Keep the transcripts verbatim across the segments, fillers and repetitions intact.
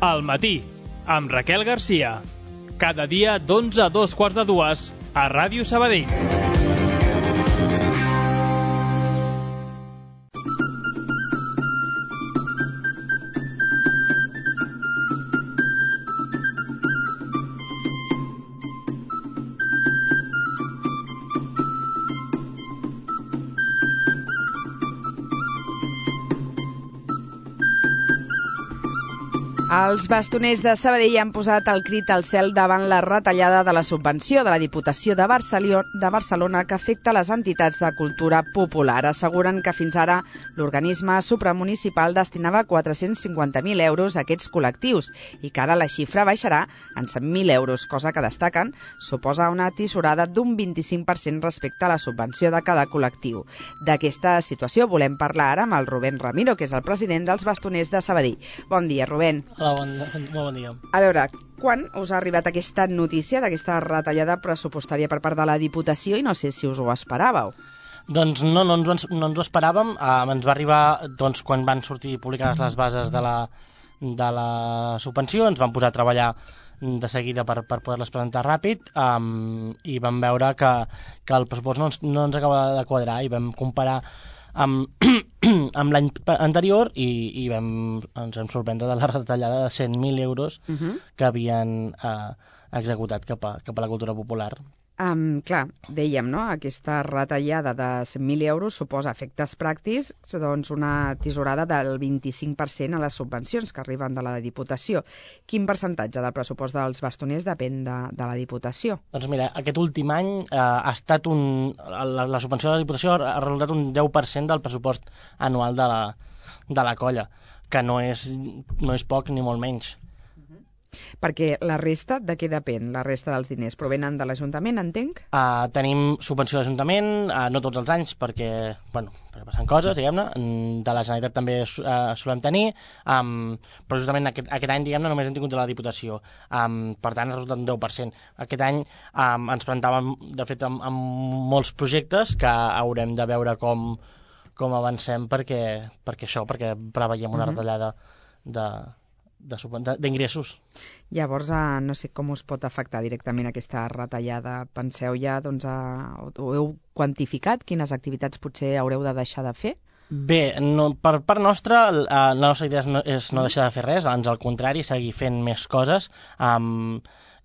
Al matí, amb Raquel Garcia. Cada dia d'onze a dos quarts de dues a Ràdio Sabadell. Els bastoners de Sabadell han posat el crit al cel davant la retallada de la subvenció de la Diputació de Barcelona que afecta les entitats de cultura popular. Asseguren que fins ara l'organisme supramunicipal destinava quatre-cents cinquanta mil euros a aquests col·lectius i que ara la xifra baixarà en cent mil euros, cosa que destaquen suposa una tisorada d'un vint-i-cinc per cent respecte a la subvenció de cada col·lectiu. D'aquesta situació volem parlar ara amb el Rubén Ramiro, que és el president dels bastoners de Sabadell. Bon dia, Rubén. Hola, bon, molt bon dia. A veure, quan us ha arribat aquesta notícia d'aquesta retallada pressupostària per part de la Diputació i no sé si us ho esperàveu? Doncs no, no ens, no ens ho esperàvem. Uh, ens va arribar doncs, quan van sortir publicades les bases de la, de la subvenció, ens vam posar a treballar de seguida per, per poder-les presentar ràpid um, i vam veure que, que el pressupost no ens, no ens acaba de quadrar i vam comparar amb, amb l'any anterior i, i vam, ens vam sorprendre de la retallada de cent mil euros uh-huh. que havien eh, executat cap a, cap a la cultura popular. Um, clar, dèiem, no? Aquesta retallada de cent mil euros suposa efectes pràctics, doncs una tisorada del vint-i-cinc per cent a les subvencions que arriben de la Diputació. Quin percentatge del pressupost dels bastoners depèn de, de la Diputació? Doncs mira, aquest últim any eh, ha estat un... La, la subvenció de la Diputació ha resultat un deu per cent del pressupost anual de la, de la colla, que no és, no és poc ni molt menys. Perquè la resta, de què depèn? La resta dels diners provenen de l'Ajuntament, entenc? Uh, tenim subvenció de l'Ajuntament, uh, no tots els anys, perquè, bueno, perquè passen coses, diguem-ne. De la Generalitat també uh, solem tenir, um, però justament aquest, aquest any, diguem-ne, només hem tingut de la Diputació. Um, per tant, ha resultat un deu per cent. Aquest any um, ens presentàvem, de fet, amb, amb molts projectes que haurem de veure com, com avancem perquè, perquè això, perquè preveiem una uh-huh. retallada de... d'ingressos. Llavors, eh, no sé com us pot afectar directament aquesta retallada. Penseu ja, doncs, a, ho heu quantificat? Quines activitats potser haureu de deixar de fer? Bé, no, per part nostra, la nostra idea és no, és no deixar de fer res, ans al contrari, seguir fent més coses, um,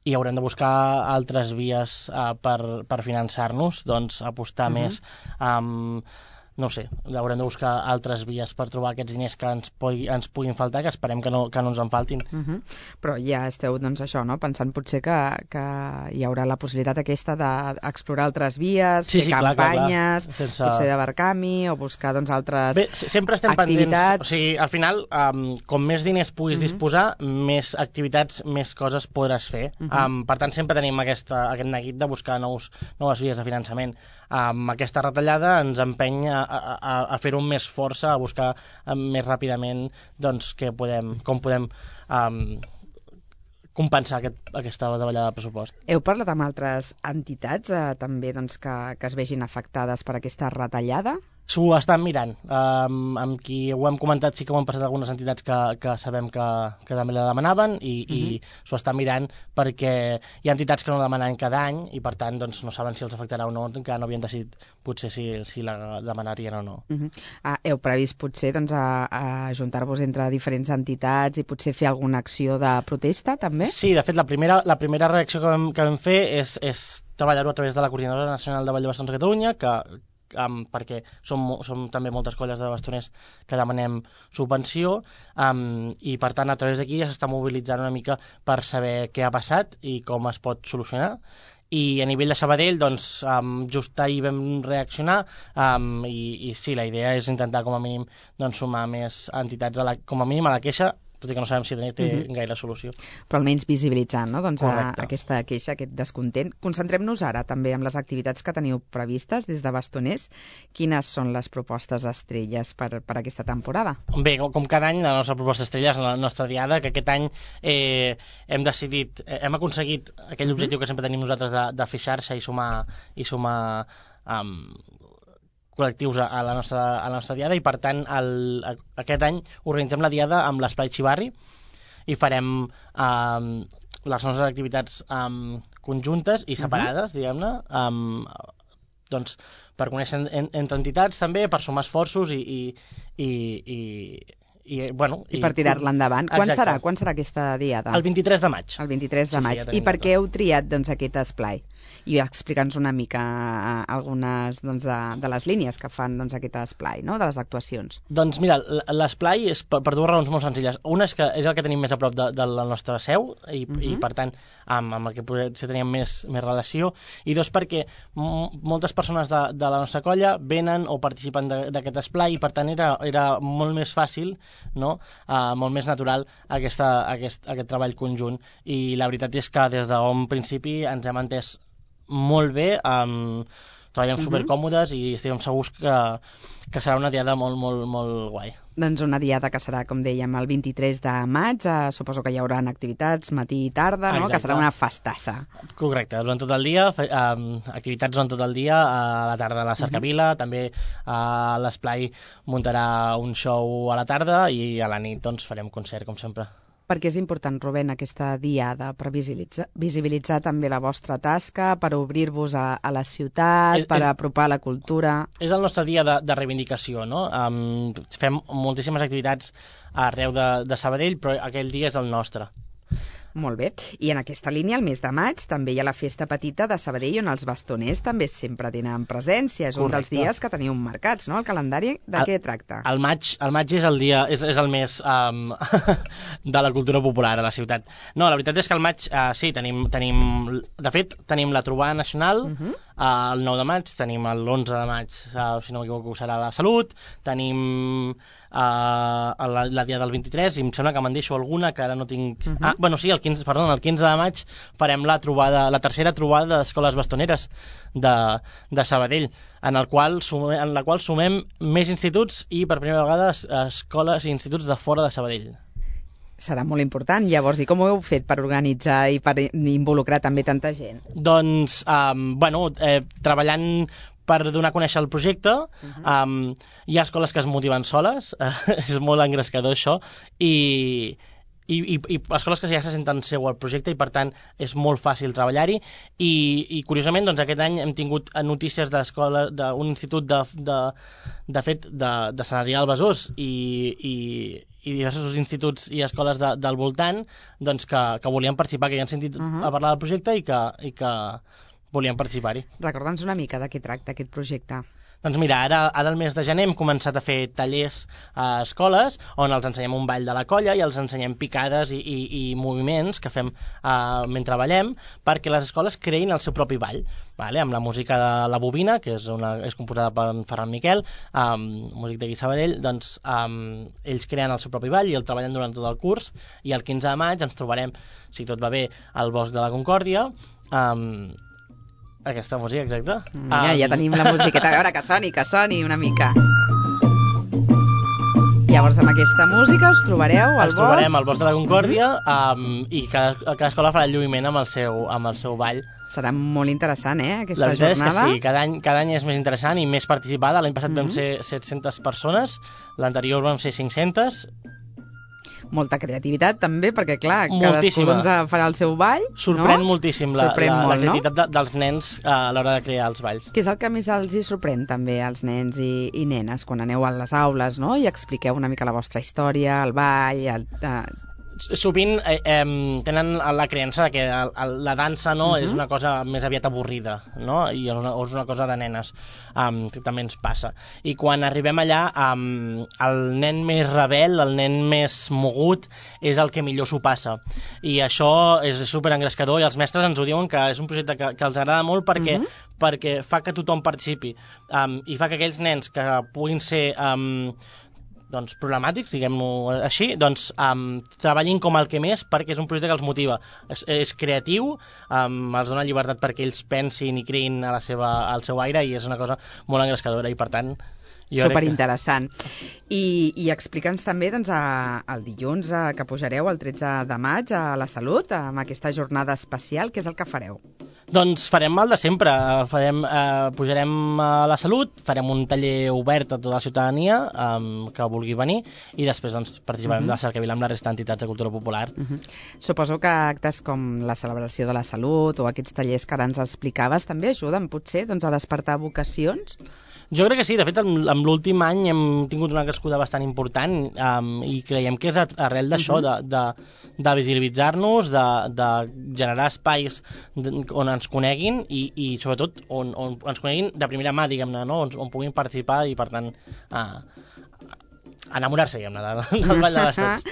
i haurem de buscar altres vies uh, per, per finançar-nos, doncs apostar uh-huh. més um, no sé, haurem de buscar altres vies per trobar aquests diners que ens, pugui, ens puguin faltar, que esperem que no, que no ens en faltin. Uh-huh. Però ja esteu, doncs, això, no? Pensant potser que, que hi haurà la possibilitat aquesta d'explorar altres vies, sí, fer sí, campanyes, clar, clar, clar. Sense... potser de barcami, o buscar, doncs, altres Bé, sempre estem activitats. Pendents, o sigui, al final, um, com més diners puguis uh-huh. disposar, més activitats, més coses podràs fer. Uh-huh. Um, per tant, sempre tenim aquesta, aquest neguit de buscar nous, noves vies de finançament. Um, aquesta retallada ens empeny a, a, a fer-ho amb més força, a buscar um, més ràpidament doncs, que podem, com podem um, compensar aquest, aquesta davallada de pressupost. Heu parlat amb altres entitats eh, també doncs, que, que es vegin afectades per aquesta retallada? S'ho estan mirant. Um, amb qui ho hem comentat sí que ho han passat algunes entitats que, que sabem que, que també la demanaven i, uh-huh. i s'ho estan mirant perquè hi ha entitats que no la demanen cada any i per tant doncs, no saben si els afectarà o no, encara no havien decidit potser si, si la demanarien o no. Uh-huh. Ah, heu previst potser doncs, a, a ajuntar-vos entre diferents entitats i potser fer alguna acció de protesta també? Sí, de fet la primera, la primera reacció que vam, que vam fer és, és treballar-ho a través de la Coordinadora Nacional de Ball de Bastons de Catalunya, que Um, perquè som, som també moltes colles de bastoners que demanem subvenció um, i per tant a través d'aquí ja s'està mobilitzant una mica per saber què ha passat i com es pot solucionar. I a nivell de Sabadell doncs um, just ahir vam reaccionar um, i, i sí, la idea és intentar com a mínim doncs, sumar més entitats a la, com a mínim a la queixa, tot i que no sabem si té uh-huh. gaire solució. Però almenys visibilitzant, no? Doncs a, aquesta queixa, aquest descontent. Concentrem-nos ara també en les activitats que teniu previstes des de Bastoners. Quines són les propostes estrelles per, per aquesta temporada? Bé, com cada any, la nostra proposta estrella és la nostra diada, que aquest any eh, hem decidit, eh, hem aconseguit aquell uh-huh. objectiu que sempre tenim nosaltres de, de fer xarxa i sumar, i sumar um, col·lectius a la nostra, a la nostra diada i per tant el, a, aquest any organitzem la diada amb l'Esplai Xivarri i farem eh, les nostres activitats eh, conjuntes i separades, uh-huh. diguem-ne, eh, doncs, per conèixer en, entre entitats també, per sumar esforços i, i, i, i, i, bueno, I per tirar-la endavant. Quan Exacte. serà? Quan serà aquesta diada? El vint-i-tres de maig. El vint-i-tres de Sí, sí, maig. ja I tenim per tot. què heu triat doncs, aquest esplai? I explica'ns una mica algunes doncs, de, de les línies que fan doncs, aquest esplai, no? De les actuacions. Doncs mira, l'esplai és per, per dues raons molt senzilles. Una és que és el que tenim més a prop de, de la nostra seu i, uh-huh. i per tant, amb, amb el que potser teníem més, més relació. I dos, perquè m- moltes persones de, de la nostra colla venen o participen d'aquest esplai i per tant era, era molt més fàcil, no? Uh, molt més natural aquesta, aquest, aquest treball conjunt. I la veritat és que des d'un principi ens hem entès molt bé, um, treballem uh-huh. supercòmodes i estem segurs que, que serà una diada molt, molt, molt guai. Doncs una diada que serà, com dèiem, el vint-i-tres de maig. Eh, suposo que hi haurà activitats matí i tarda, no? Exacte. Que serà una festassa. Correcte, durant tot el dia, fe, um, activitats durant tot el dia, a la tarda a la cercavila, uh-huh. també a l'esplai muntarà un show a la tarda i a la nit doncs, farem concert, com sempre. Perquè és important, Rubén, aquesta diada per visibilitzar, visibilitzar també la vostra tasca, per obrir-vos a, a la ciutat, és, per és, apropar la cultura. És el nostre dia de, de reivindicació, no? Um, fem moltíssimes activitats arreu de, de Sabadell, però aquell dia és el nostre. Molt bé. I en aquesta línia, el mes de maig, també hi ha la festa petita de Sabadell, on els bastoners també sempre tenen presència. És Correcte. Un dels dies que teniu marcats, no?, el calendari. De el, què tracta? El maig, el maig és el dia, és, és el mes um, de la cultura popular a la ciutat. No, la veritat és que el maig, uh, sí, tenim, tenim, de fet, tenim la trobada nacional, uh-huh. uh, el nou de maig, tenim l'onze de maig, uh, si no m'equivoco, serà la Salut, tenim Uh, la, la dia del vint-i-tres i em sembla que me'n deixo alguna que ara no tinc... Uh-huh. Ah, bueno, sí, el quinze, perdó, el quinze de maig farem la trobada, la tercera trobada d'escoles bastoneres de, de Sabadell, en, el qual sumem, en la qual sumem més instituts i per primera vegada escoles i instituts de fora de Sabadell. Serà molt important. Llavors, i com ho heu fet per organitzar i per involucrar també tanta gent? Doncs, um, bueno, eh, treballant per donar a conèixer el projecte, uh-huh. um, hi ha escoles que es motiven soles, uh, és molt engrescador això, i, i, i, i escoles que ja se senten seu al projecte i per tant és molt fàcil treballar-hi i, i curiosament doncs, aquest any hem tingut notícies d'escola d'un institut de, de, de fet de, de Sant Adrià del Besòs i, i, i diversos instituts i escoles de, del voltant doncs, que, que volien participar, que ja han sentit uh-huh. a parlar del projecte i que, i que volien participar-hi. Recorda'ns una mica de què tracta aquest projecte. Doncs mira, ara, ara al mes de gener hem començat a fer tallers a escoles on els ensenyem un ball de la colla i els ensenyem picades i, i, i moviments que fem uh, mentre ballem perquè les escoles creïn el seu propi ball, vale? Amb la música de La Bobina, que és, una, és composada per en Ferran Miquel, um, músic d'aquí Sabadell, doncs um, ells creen el seu propi ball i el treballen durant tot el curs i el quinze de maig ens trobarem, si tot va bé, al Bosc de la Concòrdia, um, aquesta música, exacte. Mira, um... ja tenim la musiqueta. A veure, que soni, que soni una mica. Llavors, amb aquesta música us trobareu al bosc? Ens bosc? trobarem al Bosc de la Concòrdia um, i cada, cada escola farà el lluïment amb el seu, amb el seu ball. Serà molt interessant, eh, aquesta la veritat jornada. És que sí, cada any, cada any és més interessant i més participada. L'any passat mm-hmm. vam ser set-centes persones, l'anterior vam ser cinc-centes. Molta creativitat també, perquè clar, moltíssima. Cadascú doncs, farà el seu ball. Sorprèn no? moltíssim la, sorprèn la, molt, la creativitat no? de, dels nens a l'hora de crear els balls. Què és el que més els hi sorprèn també als nens i, i nenes quan aneu a les aules, no? I expliqueu una mica la vostra història, el ball... El, eh... Sovint eh, eh, tenen la creença que el, el, la dansa no, uh-huh. és una cosa més aviat avorrida, no? I és una, és una cosa de nenes, um, que també ens passa. I quan arribem allà, um, el nen més rebel, el nen més mogut, és el que millor s'ho passa. I això és superengrescador i els mestres ens ho diuen que és un projecte que, que els agrada molt perquè, uh-huh. perquè fa que tothom participi um, i fa que aquells nens que puguin ser... Um, doncs, problemàtics, diguem-ho així, doncs um, treballin com el que més perquè és un projecte que els motiva. És, és creatiu, um, els dona llibertat perquè ells pensin i creïn a la seva, al seu aire i és una cosa molt engrescadora i per tant... Superinteressant. Que... I, i explica'ns també doncs, a, el dilluns a, que pujareu el tretze de maig a la Salut, amb aquesta jornada especial, què és el que fareu? Doncs farem el de sempre, farem, eh, pujarem a la Salut, farem un taller obert a tota la ciutadania eh, que vulgui venir i després doncs, participarem uh -huh. de la cercavila amb la resta d'entitats de cultura popular. Uh -huh. Suposo que actes com la celebració de la Salut o aquests tallers que ara ens explicaves també ajuden potser doncs, a despertar vocacions? Jo crec que sí, de fet, en, en l'últim any hem tingut una crescuda bastant important um, i creiem que és arrel d'això, uh-huh. de, de, de visibilitzar-nos, de, de generar espais on ens coneguin i, i sobretot, on, on ens coneguin de primera mà, diguem-ne, no? on, on puguin participar i, per tant, uh, enamorar-se, diguem-ne, del Ball de Bastons.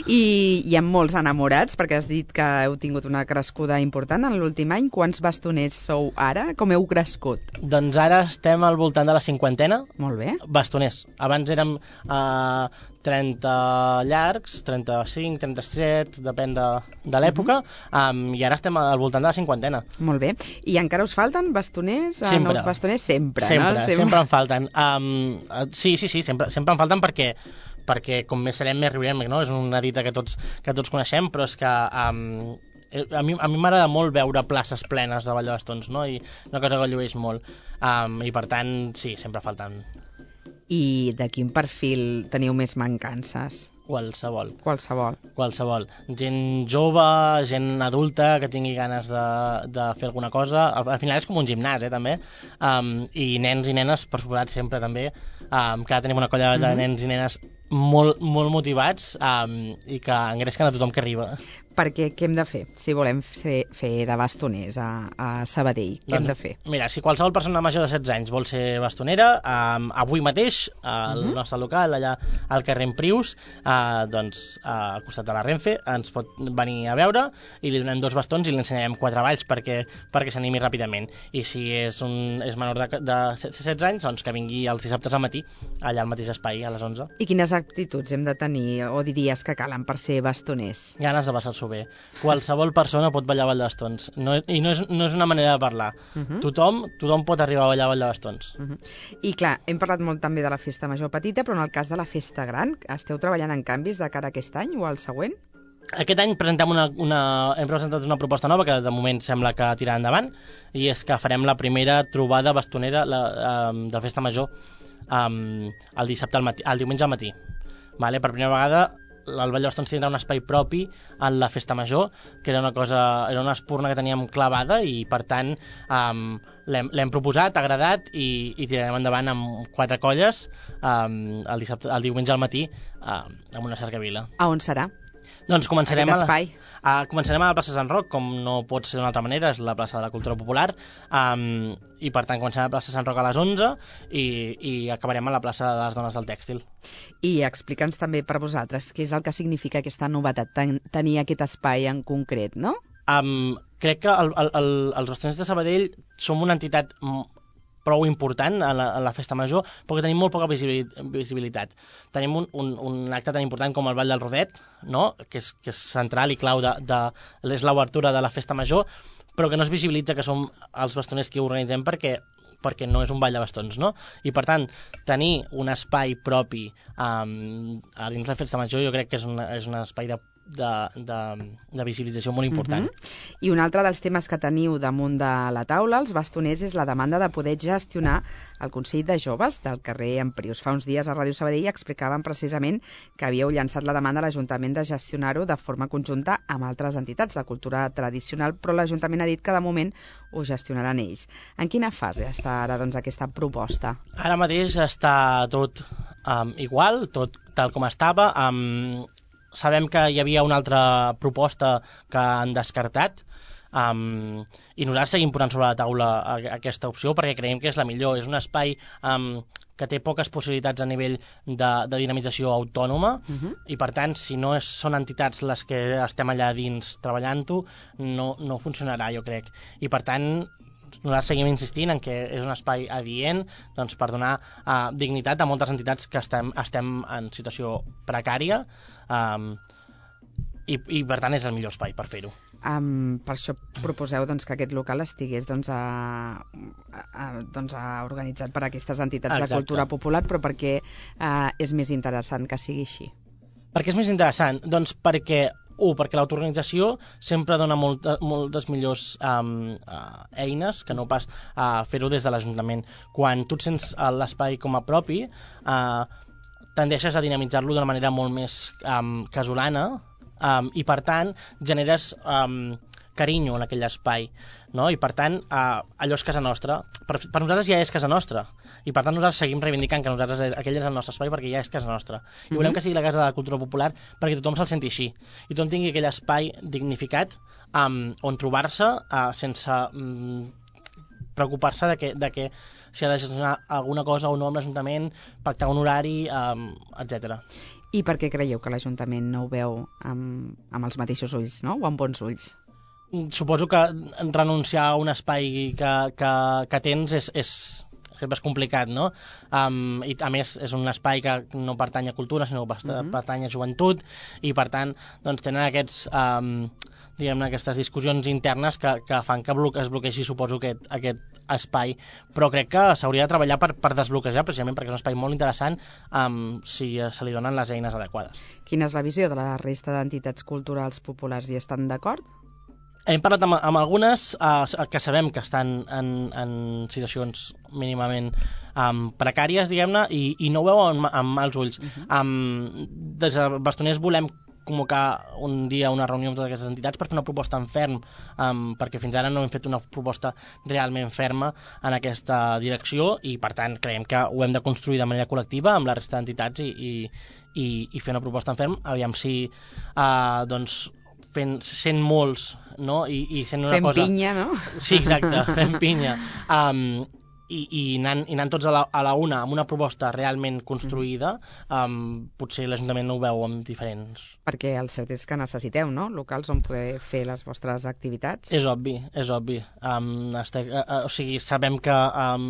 I hi ha molts enamorats, perquè has dit que heu tingut una crescuda important en l'últim any. Quants bastoners sou ara? Com heu crescut? Doncs ara estem al voltant de la cinquantena. Molt bé. Bastoners. Abans érem uh, trenta llargs, trenta-cinc, trenta-set, depèn de, de l'època, uh-huh. um, i ara estem al voltant de la cinquantena. Molt bé. I encara us falten bastoners? Sempre. Nous bastoners? Sempre, sempre no? Sempre, sempre en falten. Um, sí, sí, sí, sempre, sempre en falten perquè perquè com més serem més riurem, no? És una dita que tots, que tots coneixem, però és que um, a mi, a mi m'agrada molt veure places plenes de Vall de Bastons, no? I una cosa que llueix molt, um, i per tant, sí, sempre falten. I de quin perfil teniu més mancances? Qualsevol. Qualsevol. Qualsevol. Gent jove, gent adulta que tingui ganes de, de fer alguna cosa. Al, al final és com un gimnàs, eh, també. Um, I nens i nenes, per suposat, sempre també. Um, que ara tenim una colla de nens i nenes molt, molt motivats um, i que engresquen a tothom que arriba. Perquè què hem de fer si volem fer, fer de bastoners a, a Sabadell? Què doncs, hem de fer? Mira, si qualsevol persona major de setze anys vol ser bastonera, um, avui mateix, al uh-huh. nostre local, allà al carrer Emprius, uh, doncs uh, al costat de la Renfe, ens pot venir a veure i li donem dos bastons i li ensenyarem quatre balls perquè, perquè s'animi ràpidament. I si és, un, és menor de, de setze anys, doncs que vingui els dissabtes al matí, allà al mateix espai, a les onze. I quines actituds hem de tenir o diries que calen per ser bastoners? Ganes de passar-s'ho bé. Qualsevol persona pot ballar Ball de Bastons. No, I no és, no és una manera de parlar. Uh-huh. Tothom, tothom pot arribar a ballar Ball de Bastons. Uh-huh. I clar, hem parlat molt també de la festa major petita, però en el cas de la festa gran, esteu treballant en canvis de cara a aquest any o al següent? Aquest any presentem una, una, hem presentat una proposta nova que de moment sembla que tirarà endavant, i és que farem la primera trobada bastonera la, um, de festa major um, el dissabte al matí, el diumenge al matí. Vale? Per primera vegada el Ball de Bastons tindrà un espai propi en la festa major, que era una cosa, era una espurna que teníem clavada i per tant um, l'hem proposat, ha agradat i, i tirarem endavant amb quatre colles um, el, dissabte, el diumenge al matí um, amb una cercavila. A on serà? Doncs començarem a, la, a, començarem a la plaça Sant Roc, com no pot ser d'una altra manera, és la plaça de la Cultura Popular, um, i per tant començarem a la plaça Sant Roc a les onze i, i acabarem a la plaça de les Dones del Tèxtil. I explica'ns també per vosaltres què és el que significa aquesta novetat, ten, tenir aquest espai en concret, no? Um, crec que el, el, el, els bastoners de Sabadell som una entitat prou important a la, a la festa major, però que tenim molt poca visibilitat. Tenim un, un, un acte tan important com el Ball del Rodet, no? que, és, que és central i clau de, de, és l'obertura de la festa major, però que no es visibilitza que som els bastoners que ho organitzem perquè perquè no és un ball de bastons, no? I per tant, tenir un espai propi um, a dins la festa major jo crec que és, una, és un espai de De, de, de visibilització molt important. Uh-huh. I un altre dels temes que teniu damunt de la taula, els bastoners, és la demanda de poder gestionar el Consell de Joves del carrer Emprius. Fa uns dies a Ràdio Sabadell explicaven precisament que havíeu llançat la demanda a l'Ajuntament de gestionar-ho de forma conjunta amb altres entitats de cultura tradicional, però l'Ajuntament ha dit que de moment ho gestionaran ells. En quina fase està ara doncs, aquesta proposta? Ara mateix està tot um, igual, tot tal com estava. Um, Sabem que hi havia una altra proposta que han descartat um, i nosaltres seguim posant sobre la taula aquesta opció perquè creiem que és la millor. És un espai um, que té poques possibilitats a nivell de, de dinamització autònoma uh-huh. i per tant si no és, són entitats les que estem allà dins treballant-ho no, no funcionarà, jo crec. I per tant nosaltres seguim insistint en que és un espai adient doncs, per donar uh, dignitat a moltes entitats que estem, estem en situació precària um, i, i per tant és el millor espai per fer-ho. Um, per això proposeu doncs, que aquest local estigués doncs, a, a, doncs, a organitzat per aquestes entitats Exacte. De cultura popular, però perquè uh, és més interessant que sigui així. Per què és més interessant? Doncs perquè un, perquè l'autoorganització sempre dona molta, moltes millors um, uh, eines que no pas uh, fer-ho des de l'Ajuntament. Quan tu et sents l'espai com a propi, uh, tendeixes a dinamitzar-lo d'una manera molt més um, casolana, um, i per tant generes um, carinyo en aquell espai, no? I per tant uh, allò és casa nostra. Per, per nosaltres ja és casa nostra, i per tant nosaltres seguim reivindicant que nosaltres aquell és el nostre espai perquè ja és casa nostra, i mm-hmm. volem que sigui la casa de la cultura popular perquè tothom se'l senti així i tothom tingui aquell espai dignificat um, on trobar-se uh, sense um, preocupar-se de que, de que si ha de gestionar alguna cosa o no amb l'Ajuntament, pactar un horari, um, etcètera. I per què creieu que l'Ajuntament no ho veu amb, amb els mateixos ulls, no? O amb bons ulls? Suposo que renunciar a un espai que, que, que tens és, és, sempre és complicat, no? Um, I a més és un espai que no pertany a cultura, sinó que uh-huh. pertany a joventut, i per tant doncs, tenen aquests, um, diguem-ne, aquestes discussions internes que, que fan que bloque, es bloquegi, suposo, aquest, aquest espai. Però crec que s'hauria de treballar per, per desbloquejar, precisament perquè és un espai molt interessant um, si se li donen les eines adequades. Quina és la visió de la resta d'entitats culturals populars? Hi estan d'acord? Hem parlat amb, amb algunes uh, que sabem que estan en, en situacions mínimament um, precàries, diguem-ne, i, i no ho veuen amb, amb mals ulls. Uh-huh. Um, des de Bastoners volem convocar un dia una reunió amb totes aquestes entitats per fer una proposta en ferm, um, perquè fins ara no hem fet una proposta realment ferma en aquesta direcció, i per tant creiem que ho hem de construir de manera col·lectiva amb la resta d'entitats i, i, i, i fer una proposta en ferm, aviam si uh, doncs fent, sent molts, no? I, i sent una fent cosa... pinya, no? Sí, exacte, fent pinya. Um, i, i, anant, i anant tots a la, a la una amb una proposta realment construïda, um, potser l'Ajuntament no ho veu amb diferents. Perquè el cert és que necessiteu, no?, locals on poder fer les vostres activitats. És obvi, és obvi. Um, este, uh, o sigui, sabem que um,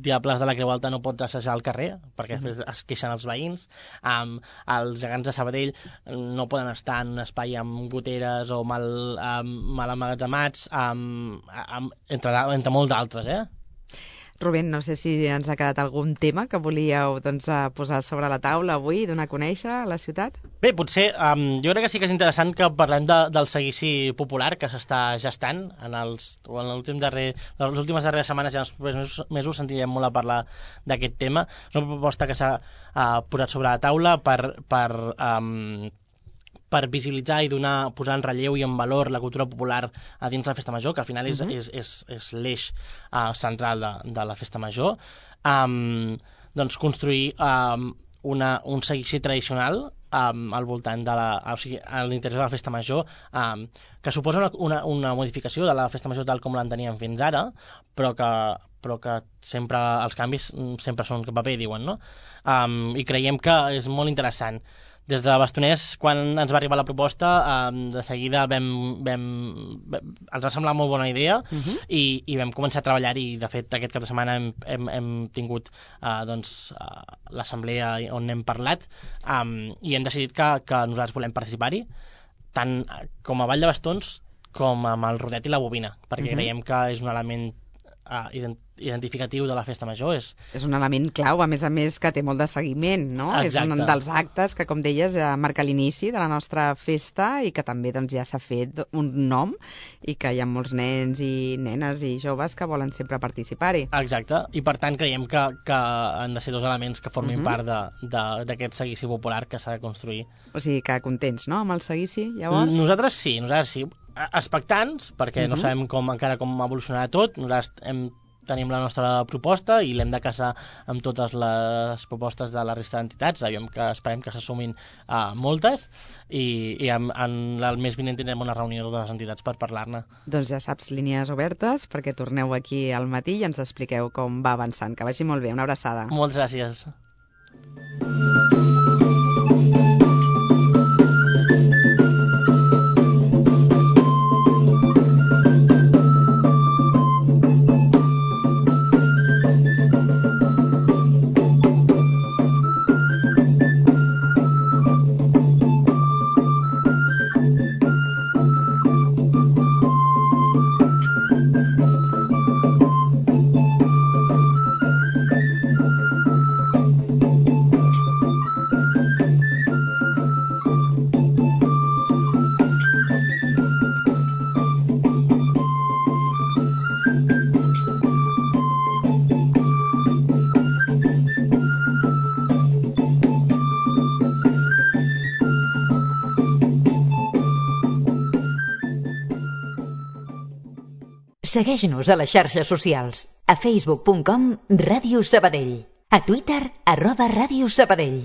Diables de la Creu Alta no pot assajar al carrer, perquè mm. es queixen els veïns. Um, els gegants de Sabadell no poden estar en un espai amb goteres o mal, um, mal amagatzemats, um, um, entre, entre molts d'altres, eh? Rubén, no sé si ens ha quedat algun tema que volíeu doncs, posar sobre la taula avui, donar a conèixer a la ciutat? Bé, potser, um, jo crec que sí que és interessant que parlem de, del seguici popular que s'està gestant en els, o en l'últim darrer, les últimes darreres setmanes i en els propers mesos, mesos sentirem molt a parlar d'aquest tema. És una proposta que s'ha uh, posat sobre la taula per... per um, per visibilitzar i donar, posar en relleu i en valor la cultura popular a dins la Festa Major, que al final és, uh-huh. és, és, és l'eix uh, central de, de la Festa Major. Um, doncs construir um, una, un seguici tradicional um, al voltant de la, o sigui, a l'interior de la Festa Major, um, que suposa una, una, una modificació de la Festa Major tal com l'enteníem fins ara, però que, però que sempre els canvis sempre són paper, diuen, no? Um, I creiem que és molt interessant. Des de Bastoners, quan ens va arribar la proposta, eh, de seguida vam, vam, vam, ens va semblar molt bona idea, uh-huh. i, i vam començar a treballar-hi. De fet, aquest cap de setmana hem, hem, hem tingut eh, doncs, eh, l'assemblea on n'hem parlat, um, i hem decidit que, que nosaltres volem participar-hi, tant com a Vall de Bastons com amb el rodet i la bobina, perquè uh-huh. creiem que és un element uh, ident identificatiu de la Festa Major. És... és un element clau, a més a més que té molt de seguiment, no? Exacte. És un dels actes que, com deies, marca l'inici de la nostra festa i que també doncs, ja s'ha fet un nom i que hi ha molts nens i nenes i joves que volen sempre participar-hi. Exacte, i per tant creiem que, que han de ser dos elements que formin uh-huh. part d'aquest seguici popular que s'ha de construir. O sigui que contents, no?, amb el seguici, llavors? Nosaltres sí, nosaltres sí. Expectants, perquè uh-huh. no sabem com, encara com evolucionarà tot. Nosaltres hem tenim la nostra proposta i l'hem de casar amb totes les propostes de la resta d'entitats. Aviam que esperem que s'assumin uh, moltes i, i en, en el mes vinent tindrem una reunió de les entitats per parlar-ne. Doncs ja saps, línies obertes perquè torneu aquí al matí i ens expliqueu com va avançant. Que vagi molt bé, una abraçada. Moltes gràcies. Segueix-nos a les xarxes socials. A facebook punt com Ràdio Sabadell. A Twitter, arroba Ràdio Sabadell.